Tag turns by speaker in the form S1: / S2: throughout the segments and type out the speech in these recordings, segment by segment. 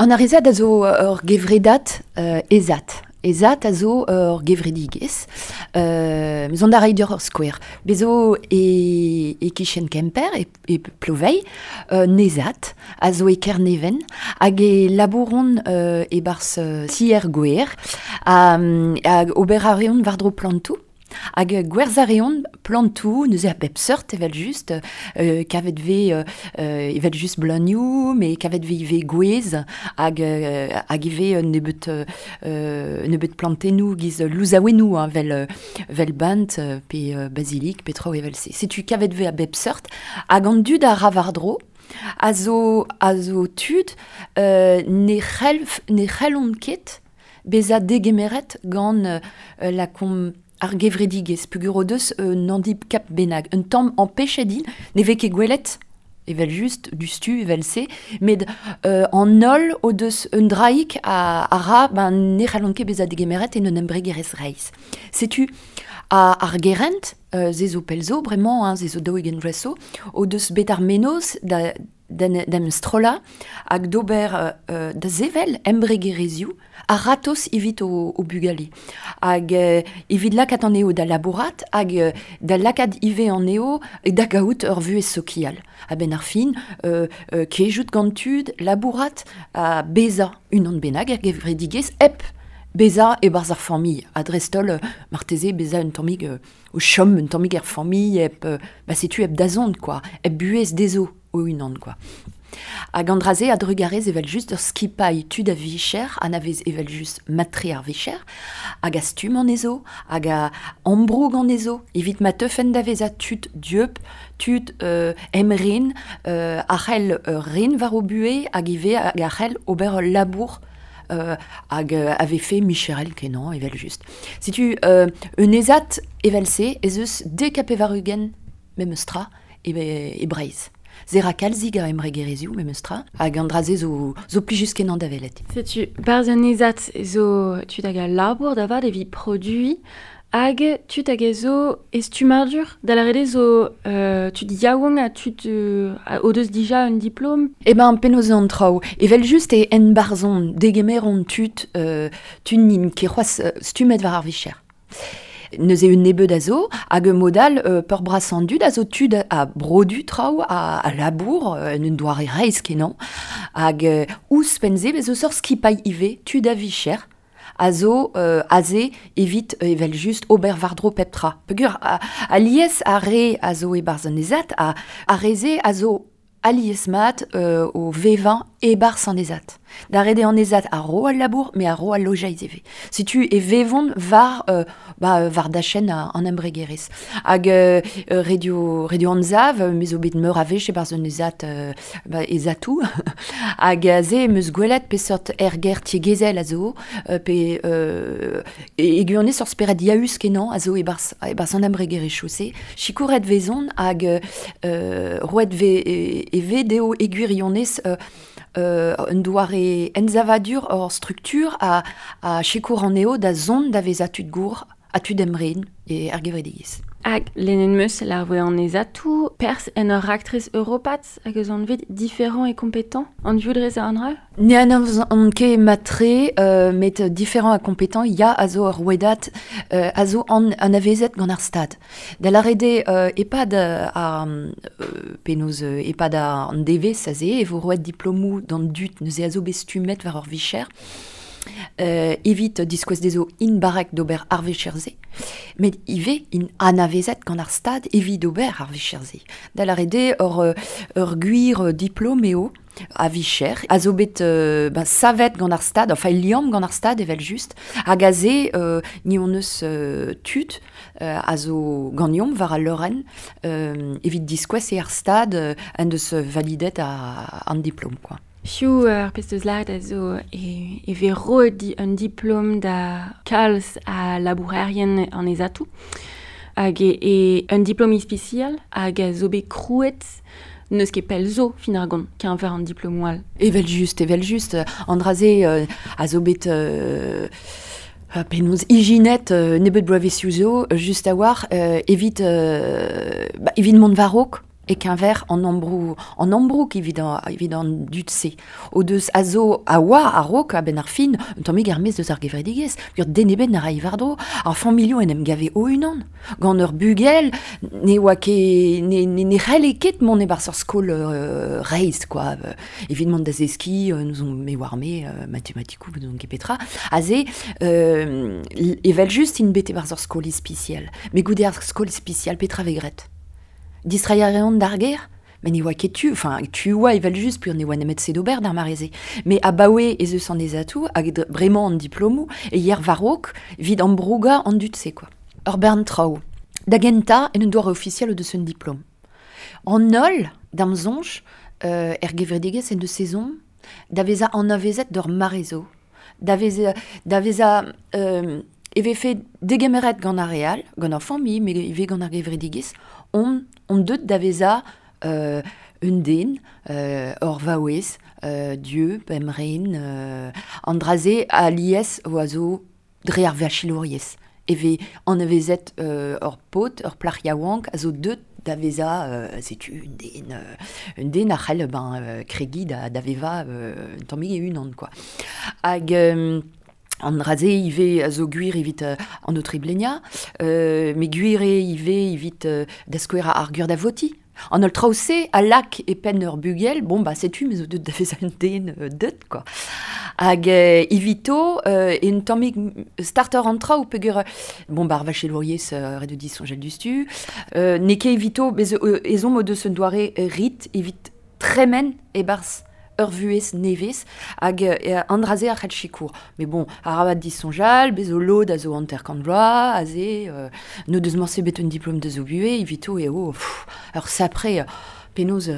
S1: An ar a zo ur gevredad ezat. Ezat a zo ur gevredigezh. Mezon da reiñ deoc'h ur skouer. Bez zo e, e kichen Kemper, e, e Ploveilh, Nezat, a zo e Kerneven, hag e labouront e-barzh tier gwer, hag ober a reont war-dro plantoù. Hag gwerzhañ a reont plantoù, neuze a bep seurt evel-just, kavet 'vez evel-just bleunioù, met kavet 'vez ivez gwez hag hag ivez un nebeud un nebeud plantennoù giz louzaouennoù hein, 'vel 'vel bent pe bazilik pe traoù evel-se. Setu kavet 'vez a bep seurt hag an dud a ra war-dro a zo a zo tud ne c'hell ne c'hellont ket bezañ degemeret gant lakaomp ar gevredigezh peogwir o deus un handicap bennak. Un tamm ampechet int, ne vez ket gwelet evel-just diouzhtu evel-se, met an holl o deus un draig a, a ra ben, ne c'hallont ket bezañ degemeret en un embregerezh reizh. Setu ar gerent, se zo pell zo bremañ, hein, se zo 40 vloaz zo, o deus bet ar mennozh da d'en em strollañ hag d'ober da sevel embregerezhioù a-ratozh evit o bugale. Hag evit lakaat anezho da labourat hag da lakaat ivez anezho da gaout ur vuhez sokial. A-benn ar fin, kejout gant tud, labourat ha bezañ unan bennak er gevredigezh hep bezañ e-barzh ar familh. Ha dreist-holl, marteze bezañ un tammig o chom un tammig er familh hep ba setu hep dazont quoi, hep buhez dezho o-unan quoi. Hag an dra-se a-drugarez evel-just ur skipailh tud a vicher anavez evel-just mat-tre ar vicher, hag a stumm anezho, hag a ambroug anezho, evit ma teufent da vezañ tud dieub, tud emren, a c'hell ren war o buhez hag ivez hag a c'hell ober ul labour hag a vefe micherel kenañ evel-just. Setu un ezad evel-se ez eus 90 memes tra e, e Breizh. Se ra kalzik a embregerezhioù memes tra, hag an dra-se zo, zo plijus-kenañ da welet.
S2: Setu, barzh an ezad zo tud hag a labour da vat evit produiñ hag tud hag a zo e stummadur, da lâret eo zo tud yaouank ha tud o deus dija un diplom.
S1: Eh ben, penaos eo an traoù? Evel-just e enbarzhont, degemeront tud, tud n'int ket c'hoazh stummet war ar vicher. Neuze un nebeud a zo, hag un mod all, peurbrasañ an dud a zo tud a brodu traoù, a labour en un doare reizh-kenañ. Hag ouzhpenn-se, bez' eus ur skipailh ivez, tud a vicher, a zo aze evit evel-just ober war-dro pep tra. Peogwir alies ar re a zo e-barzh an ezad, ar re-se a zo alies-mat o vevañ e-barzh an ezad. Da ret eo an ezad a ro al labour, met a ro al lojeiz ivez. Setu e vevont war, ba, war dachenn an embregerezh. Hag radio, radio Anzav, me zo bet meur a wech e-barzh un ezad, ba, ezatoù. Hag aze em eus gwelet peseurt erger tiegezhel a zo, pe e gwirionez ur spered yaus-kenañ a zo e-barzh e-barzh an embregerezhioù-se. Sikouret 'vezont hag roet vez e vez dezho e gwirionez un doare ensavadur ur struktur a, a sikour anezho da zont da vezañ tud gour ha tud emren e ar gevredigezh.
S2: Hag lennet 'meus lar voe an ezatoù perzh en ur raktres europat hag eus anvet différent et compétent. An dioudrez a an dra?
S1: Ne anavezan ket mat-tre, met différent ha compétent ya a zo ur rouedad a zo an anavezet gant ar Stad. Da lâret eo e-pad ar penaos e-pad an devezh aze e vo roet diplomoù d'an dud neuze a zo bet stummet war ur vicher evit diskouez dezho int barrek d'ober ar vicher-se, met ivez int anavezet gant ar Stad evit ober ar vicher-se. Da lâret eo ur gwir diplom eo a vicher, a zo bet ben, savet gant ar Stad, enfin liamm gant ar Stad evel-just, hag aze ni hon eus tud a zo ganeomp war al leurenn evit diskouez eo ar Stad en deus validet an diplom quoi.
S2: Piv ar pezh deus lâret a zo e, e vez roet un diplom da kalz a labourerien an ezatoù hag e, e un diplom ispisial hag a zo bet krouet n'eus ket pell zo fin ar gont keñver an diplomoù all.
S1: Evel-just, evel-just, an dra-se a zo bet penaos ijinet nebeut bloavezhioù zo, just a-walc'h, evit, ba, evit mont war-raok. e keñver an ambrou an ambroug evit an, evit an dud-se. O deus a zo a oa a-raok a-benn ar fin un tammig er-maez deus ar gevredigezh, ur den ebet na ray war-dro, ar familhoù en em gave o-unan. Gant ur bugel ne oa ket ne, ne, ne c'helle ket mont e-barzh ur skol reizh quoi. Evit mont da zeskiñ n'ouzon me oar-me matematikoù n'ouzon ket petra. Aze evel-just int bet e-barzh ur skol ispisial. Met goude ar skol ispisial petra vez graet? Distreiñ a reont d'ar gêr? Met ne oa ket tu, enfin tu oa evel-just peogwir ne oa nemet se d'ober d'ar mare-se. Met abaoe ez eus an ezatoù hag bremañ an diplomoù e yer war-raok evit ambrougañ an dud-se quoi. Ur bern traoù. Da gentañ en un doare ofisiel o deus un diplom. An holl, da'm soñj, er gevredigezh en deus ezhomm da vezañ anavezet d'ur mare zo. Da vezañ, da vezañ e vefe degemeret gant ar re all, gant ar familh, met ivez gant ar gevredigezh, on, on deut da vezañ un den, ur vaouez, dieub, emren, an dra-se alies oa zo dre ar vachelouriezh. E vez anavezet ur paotr, ur plac'h yaouank a zo deut da vezañ setu un den, un den a c'hell ben kregiñ da, da vevañ un tammig e-unan quoi. Hag an dra-se ivez a zo gwir evit an aotre-bleniañ, met gwir eo ivez evit da skouer ar gwir da votiñ. An holl traoù-se a lak e penn ur bugel, bon bah setu me zo deut da vezañ un den deut quoi. Hag evito un tammig starter an traoù peogwir bon bah ar vachelouriezh ret eo disoñjal diouzhtu. N'eo ket evito bez ezhomm o deus un doare rit evit tremen e-barzh ur vuhez nevez hag an dra-se a c'hell sikour. Met bon, arabat disoñjal, bez zo lod a zo 50 vloaz, aze, n'o deus morse bet un diplom deus o buhez, evito eo pff, ur sapre penaos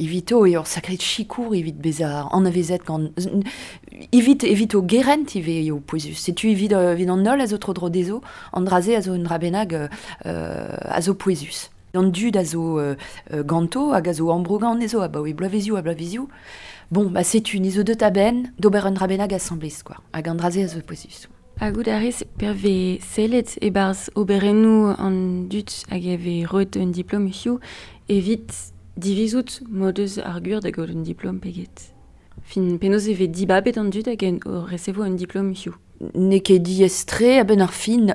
S1: evito eo ur sakre sikour evit bezañ anavezet gant evit evit o gerent ivez eo pouezus. Setu evit, evit an holl a zo tro-dro dezho, an dra-se a zo un dra bennak a zo pouezus. An dud a zo ganto hag a zo ambrougañ anezho abaoe bloavezioù ha bloavezioù. Bon, bah setu, ni zo deut a-benn d'ober un dra bennak asambles quoi. Hag an dra-se a zo pouezus.
S2: Ha goût a rez pervez sellet e-barzh oberennoù an dud hag e vez roet un diplom hiziv evit divizout m'o deus ar gwir da gaout un diplom pe get. Fin, penaos e vez dibabet an dud hag o resevo un diplom hiziv?
S1: N'eo ket diaes-tre a-benn ar fin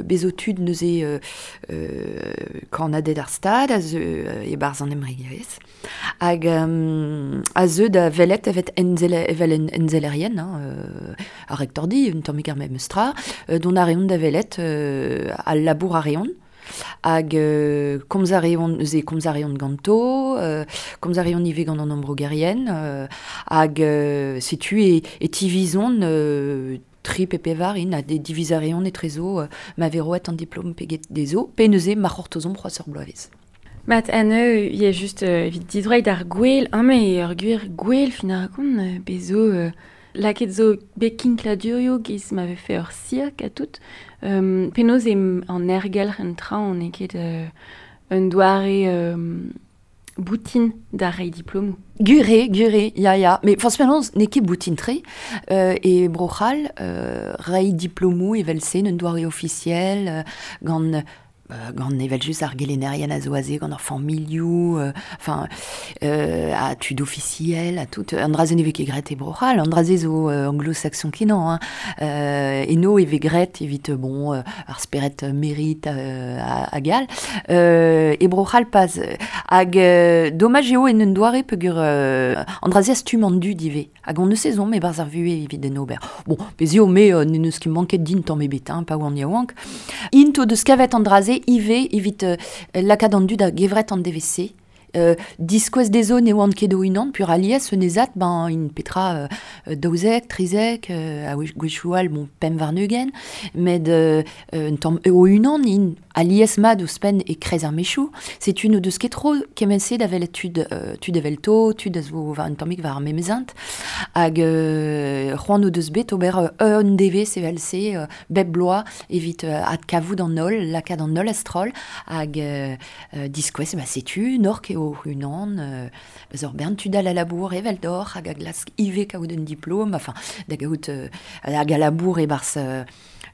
S1: bez zo tud neuze kannaded ar Stad a zeu e-barzh an embregerezh hag a zeu da welet evet evel ensellerien, hein, ar rektordi, un tammig ar memes tra, dont a reont da welet al labour a reont. Hag komz a reont, neuze komz a reont ganto, komz a reont ivez gant an ambrougerien, hag setu e, e tivizont tri pe pevar int, ha diviz a reont etrezo ma vez roet an diplom pe get dezho, pe neuze ma c'hortozomp c'hoazh ur bloavezh.
S2: Mat, ha neuze eo just evit didroiñ d'ar gwel, amañ eo ur gwir gwel fin ar gont, bez zo lakaet zo bet kinkladurioù giz ma vefe ur sirk ha tout. Penaos eo an aergelc'h en traoñ n'eo ket un doare boutin da reiñ diplomoù.
S1: Gwir eo, gwir eo, ya ya. Met forzh penaos n'eo ket boutin-tre. E Bro-C'hall, reiñ diplomoù evel-se en un doare ofisiel, gant gant evel-just ar gelennerien a zo aze gant ar familhoù, enfin, ha tud ofisiel ha tout. An dra-se ne vez ket graet e Bro-C'hall, an dra-se zo anglo-saxon kenañ. Hein. Eno e vez graet evit bon, ar spered merit hag all. E Bro-C'hall pas. Hag domaj eo en un doare peogwir an dra-se a stumm an dud ivez. Hag on eus ezhomm e-barzh ar vuhez evit en ober. Bon, bez eo me n'en eus ket manket din tamm ebet, hein, pa oan yaouank. Int o deus kavet an dra-se ivez evit lakaat an dud a-gevret an devezh-se. Diskouez dezho ne oant ket o-unan, pur alies un ezat, ben int petra 12, 13, a gwechoù all, bon, 25, met un tamm o-unan int alies mat ouzhpenn e-kreiz ar mechoù. Setu n'o deus ket tro kement-se da welet tud, tud evelto, tud a zo war un tammig war ar memes hent. Hag c'hoant o deus bet ober un devez evel-se, bep bloaz, evit adkavout an holl, lakaat an holl a-stroll, hag diskouez, ba, setu, nork eo unan, beus ur bern tud all a labour evel d'or, hag a glask ivez kaout un diplom, enfin, da gaout hag a labour e-barzh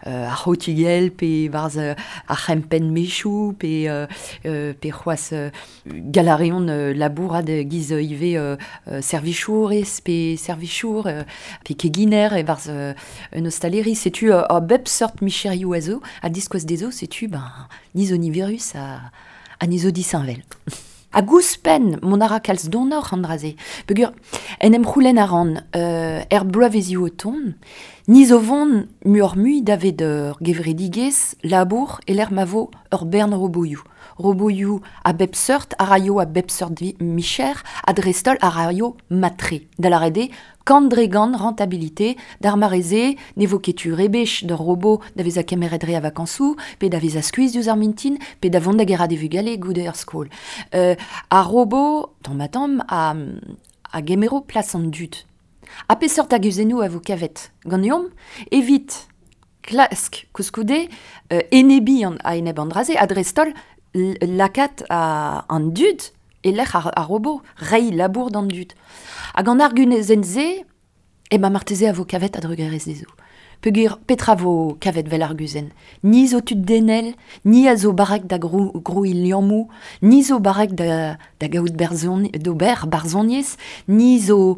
S1: ar c'hotigell, pe barz ar c'hempenn mechou, pe, pe c'hoazh galareon labourat giz ivez servichourez, pe servichour, pe keginer e barz un ostaleri, setu a bep seurt micherioù a zo, a diskouez dezo, setu, ben, ni zo niverus a ni zo disheñvel. A gouspenn mon ara kalz donor an draze. Peogwir, en em c'houlenn a ran er bloavezioù o tont, ni zo vont muioc'h-mui davet ur gevredigezh labour e lec'h ma vo ur bern roboioù. Roboioù a bep seurt, a raio a bep seurt micher, a dreist-holl a raio matre. Da lâret eo, kant dre gant rentabilité, d'ar mare-se, ne vo ket tu rebech d'ur robot da vezañ kemeret re a vakañsoù, pe da vezañ skuizh diouzh ar mintin, pe da vont da gerc'hat e vugale goude ur skol. Ar robot, tamm-ha-tamm, a gemero plas an dud. Ha peseurt arguzennoù a vo kavet ganeomp evit klask koulskoude enebiñ an a-enep an dra-se, ha dreist-holl lakaat an dud e-lec'h ar robot, reiñ labour d'an dud. Hag an arguzenn-se, e ba marteze a vo kavet a-drugarez dezho. Peogwir petra vo kavet vel arguzenn? Ni zo tud denel, ni a zo barrek da grouiñ liammoù, ni zo barrek da gaout d'ober barzhoniezh, ni zo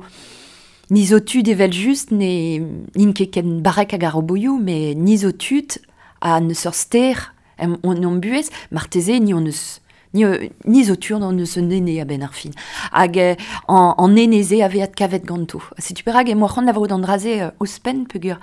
S1: tud evel just, ne n'int ket ken barrek hag ar roboioù, met ni zo tud a n'eus ur ster en hon buhez, marteze ni hon eus ni zo tud hon eus un ene a-benn ar fin. Hag an ene-se a vez adkavet ganto. Setu perak emañ c'hoant lavarout an dra-se ouzhpenn peogwir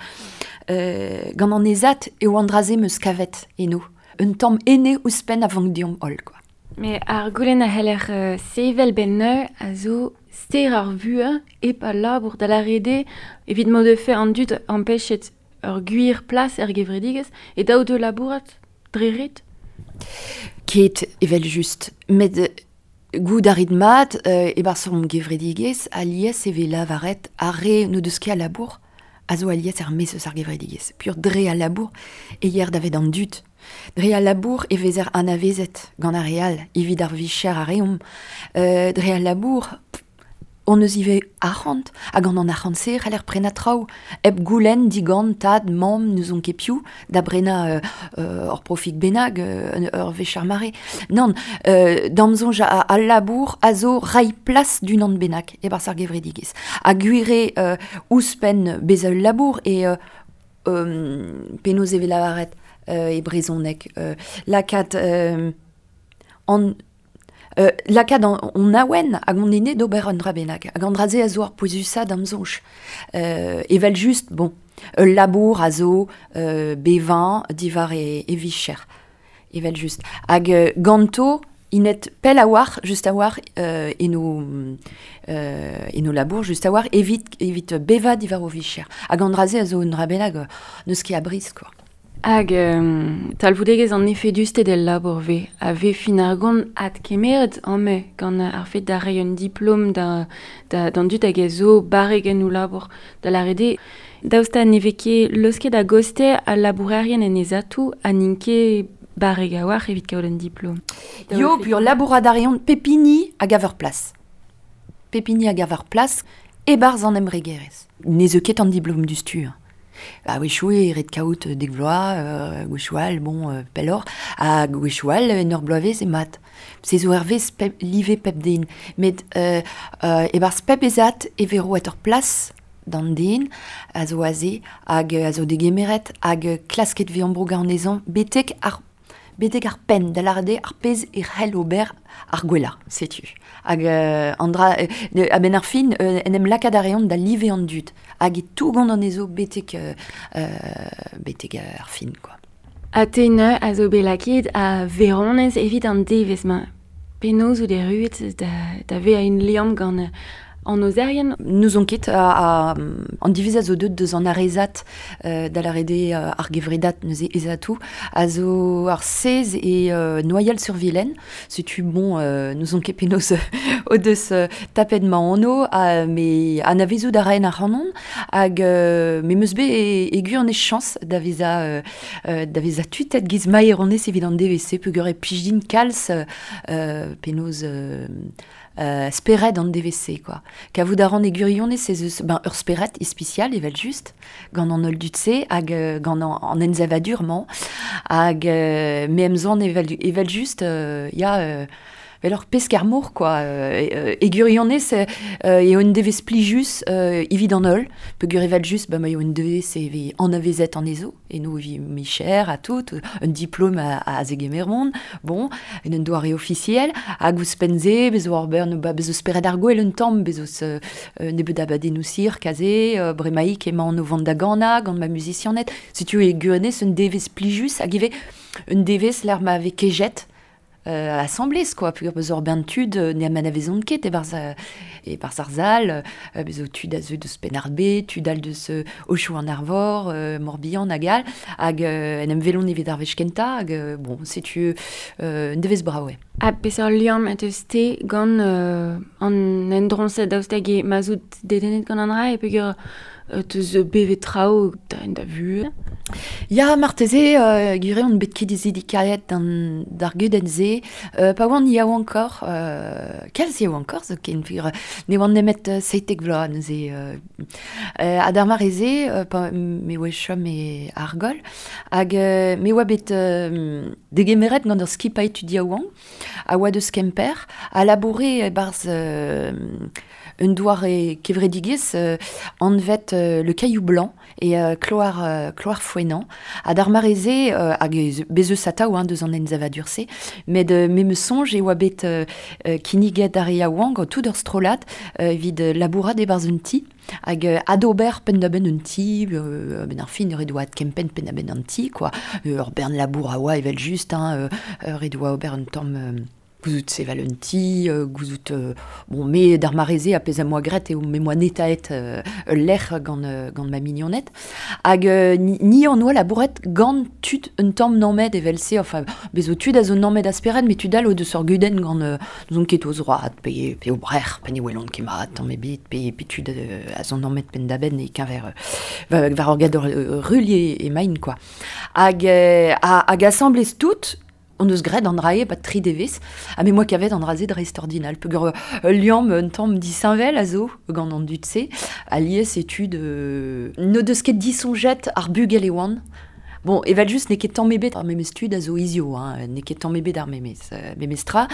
S1: gant an ezat eo an dra-se 'm eus kavet eno. Un tamm ene ouzhpenn a vank deomp holl, quoi.
S2: Mais ar goulenn a c'heller sevel benn a zo ster ar vuhez hep al labour da lâret eo evit m'o defe an dud ampechet ur gwir plas er gevredigezh e daou de labourat dre ret?
S1: Ket evel just, met goût a rit mat e-barzh hon gevredigezh alies e vez lavaret ar re n'o deus ket a labour a zo alies er maez eus ar gevredigezh. Pur dre al labour e yer davet an dud. Dre al labour e vezer anavezet gant ar re all evit ar vicher a reomp. Dre al labour, on eus ivez arc'hant, hag gant an arc'hant-se c'haller prenañ traoù. Hep goulenn digant tad, mamm, n'ouzon ket piv, da brenañ ur profig bennak, ur wech ar mare. Nann, d'am soñj al labour a zo reiñ plas d'unan bennak e-barzh ar gevredigezh. Ha gwir eo ouzhpenn bezañ ul labour e penaos e vez lavaret e brezhoneg lakaat an lakaat hon awen hag hon ene d'ober un dra bennak. Hag an dra-se a zo ar pouezusañ d'am soñj. Evel just, bon, ul labour a zo bevañ diwar e vicher. Evel just. Hag ganto, inet pell a-walc'h, just a-walc'h, eno labour, just a-walc'h, evit bevañ diwar o vicher. Hag an dra-se a zo un dra bennak n'eus ket a briz, quoi.
S2: Hag talvoudegezh an efedusted el labour ve a vez fin ar gont adkemeret amañ gant ar fet da reiñ un diplom d'an dud hag a zo barrek en o labour da lâret eo. Daoust ha ne vez ket leusket a-goste al labourerien en ezatoù ha n'int ket barrek a-walc'h evit kaout un diplom.
S1: Yo, pur labourat a reont pep hini a gav ur plas. Pep hini a gav ur plas e-barzh an embregerezh. Ne zeu ket an diplom du stur. A-wechoù eo ret kaout dek vloaz, gwechoù all, bon, pelloc'h, ha gwechoù all en ur bloavezh eo mat. Se zo hervez live pep den. Met e-barzh pep ezat e vez roet ur plas d'an den a zo aze hag a zo degemeret hag klasket vez ambrougañ anezhañ betek ar penn, da lâret eo ar pezh e c'hell ober ar gwellañ, setu. Hag an dra, a-benn ar fin, en em lakaat a reont da live an dud, hag e tougont anezho betek ar fin, quoi.
S2: Ha te neuze a zo bet lakaet a veronez evit an devezh-mañ. Penaos out erruet da vezañ un liamm gant an ozerien.
S1: Nous on ket a, an divez a zo deut deus an arezat da l'arede ar gevredat neuze ezatou a zo ar sez e Noyal-sur-Vilaine. Setu bon nous on ket penaos o deus tapet ma anno me anavezout a raen ar c'hanon hag me meus bet e gwir an e chans da veza tutet giz maeronez evit an DVC peogwir e plij din kalz penaos spered an DVC quoi. Kavout a ran e gwirionez ez eus ben ur spered ispisial evel just gant an holl dud-se hag gant an ensavadur-mañ hag me em zon evel just ya vel ur pesk ar mor quoi. E gwirionez eo un devez plijus evit an holl peogwir evel just ba ma eo un devez e vez anavezet an ezo eno vi micher a tout un diplôme a zegemermont bon en un doare officiel hag ouzhpenn-se bezo ar bern ba bezo spered ar gwell un tamm bezo nebeut abadennoù sir kaze bremaik emañ an o vont da gana gant ma musicianet setu e gwirionez un devez plijus hag ivez un devez l'ar ma vez kejet assemblez quoi peogwir bezo ur bern tud ne anavezont ket e-barzh ar zal bezo tud a zeu deus Penn-ar-Bed tud all deus Ochoù an Arvor Morbihan hag all hag en em welont evit ar wech kentañ hag bon setu un devez brav eo.
S2: Ha peseurt liamm a teus te gant an endroñse daoust hag e ma zout dedennet gant an dra e peogwir teus bevet traoù da vuhez.
S1: Ya, marteze, gwir eo on bet ket izidikaet d'ar gudenn-se. Pa oan yaouankoc'h, kalz yaouankoc'h zoken, peogwir ne oan nemet 17 vloaz neuze. Ha d'ar mare-se, pa me oa chom e Argol, hag me oa bet degemeret gant ur skipailh tud yaouank, a oa deus Kemper, a laboure e-barzh un doare kevredigezh anvet le Caillou Blanc e kloar Fouenant. Ha d'ar mare-se hag bez eus atav hein, deus an ensavadur-se, met me me soñj e oa bet kinniget ar re yaouank tout ur strollad evit labourat e-barzh un ti hag adober penn-da-benn un ti, ben ar fin ur doa kempenn penn-da-benn an ti, quoi. Ur bern labour a oa evel just, hein, ur doa ober un tamm gouzout sevel un ti, gouzout bon, me d'ar mare-se a pezh am boa graet eo me moa netaet ul lec'h gant ma mignoned. Hag ni an oa labouret gant tud un tamm nammet evel-se, enfin, bezo tud a zo nammet a spered, met tud all o deus ur gudenn gant n'ouzon ket o zroad, pe o brec'h, pe ne welont ket mat, tamm ebet, pe tud a zo nammet penn-da-benn e keñver war ur gador rul e main, quoi. Hag asamblez tout, on eus graet an drae bat tri devez, ha me moa kavet an dra-se dreist-ordinal. Peogwir ul liamm un tamm disheñvel a zo gant an dud-se, alies e tud n'o deus ket disoñjet ar bugel e oant. Bon, evel just n'eo ket tamm ebet ar memes tud a zo hizio, hein, n'eo ket tamm ebet ar memes tra,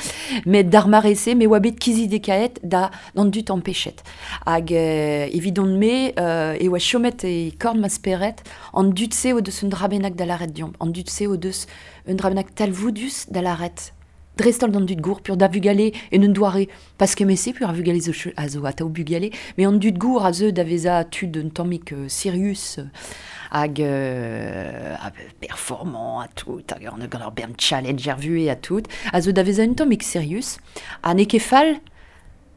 S1: met d'ar mare-se me oa bet kizidekaet da d'an dud ampechet. Hag evidon-me e oa chomet e korn ma spered an dud-se o deus un dra bennak da lâret deomp, an dud-se o deus un dra bennak talvoudus da lâret. Dreist-holl d'an dud gour, pur da vugale en un doare, pas kement-se, pur ar vugale zo a zo atav bugale, mais an dud gour a zeu da vezañ tud un tammig sirius, hag performant a tout, hag an gant ur bern challenge er vuhez a tout, a zo da vezañ un tammig sirius, ha n'eo ket fall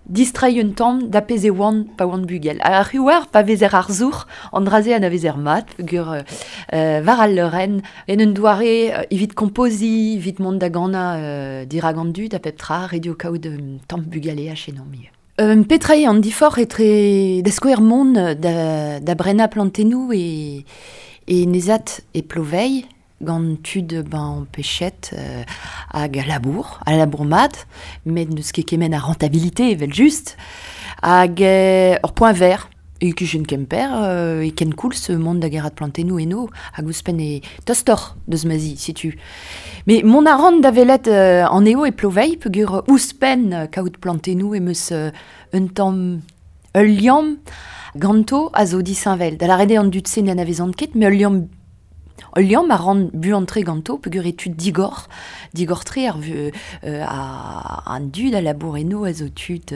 S1: distreiñ un tamm da pezh e oan pa oan bugel. Ar c'houer pa vezer ar zour, an dra-se anavezer mat, peogwir war al leurenn, en un doare evit kompoziñ, evit mont da ganañ dirak an dud a pep tra, ret eo kaout un tamm bugale a chenomp ivez. Petra eo an diforc'h etre da skouer mont da brenañ plantennoù e nezat e Ploveilh, gant tud ben pechet hag a labour mat, met n'eus ket kement a rentabilité evel just, hag ur point vert, e kichen Kemper, e ken koulz mont da gerat plantennoù eno, hag ouzhpenn e tostoc'h deus ma zi, setu. Mais mont a ran da welet an eo e Ploveilh, peogwir ouzhpenn kaout plantennoù em eus un tamm ul liamm ganto a zo disheñvel. Da lâret eo an dud-se ne anavezont ket, mais ul liamm Ul liamm a ran buan-tre ganto peogwir eo tud digor, digor-tre ar a, an dud a labour eno a zo tud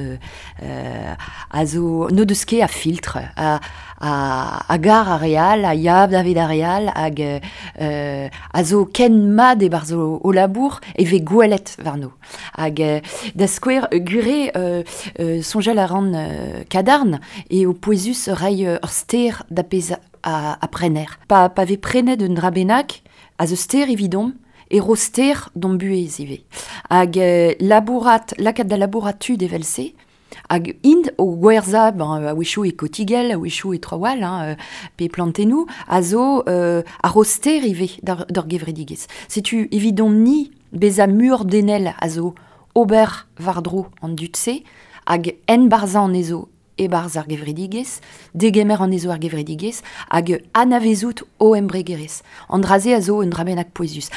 S1: a zo n'o deus ket a filtr, a gar ar re all, a ya davet ar re all, hag a zo ken mat e-barzh o labour e vez gwelet warno. Hag da skouer, gure soñjal a ran kadarn eo pouezus reiñ ur ster da pezh a prener. Pa vez prenet un dra bennak, a zo ster evidomp, e ro ster d'hon buhez ivez. Hag labourat, lakaat da labourat tud evel-se, hag int o gwerzhañ, ben, a-wechoù e kotigell, a-wechoù e traoù all, hein, pe plantennoù, a zo a ro ster ivez d'ur gevredigezh. Setu evidomp-ni bezañ muioc'h denel a zo ober war-dro an dud-se, hag enbarzhañ anezho e-barzh ar gevredigezh, degemer anezho ar gevredigezh, hag anavezout o embregerezh. An dra-se a zo un dra bennak pouezus.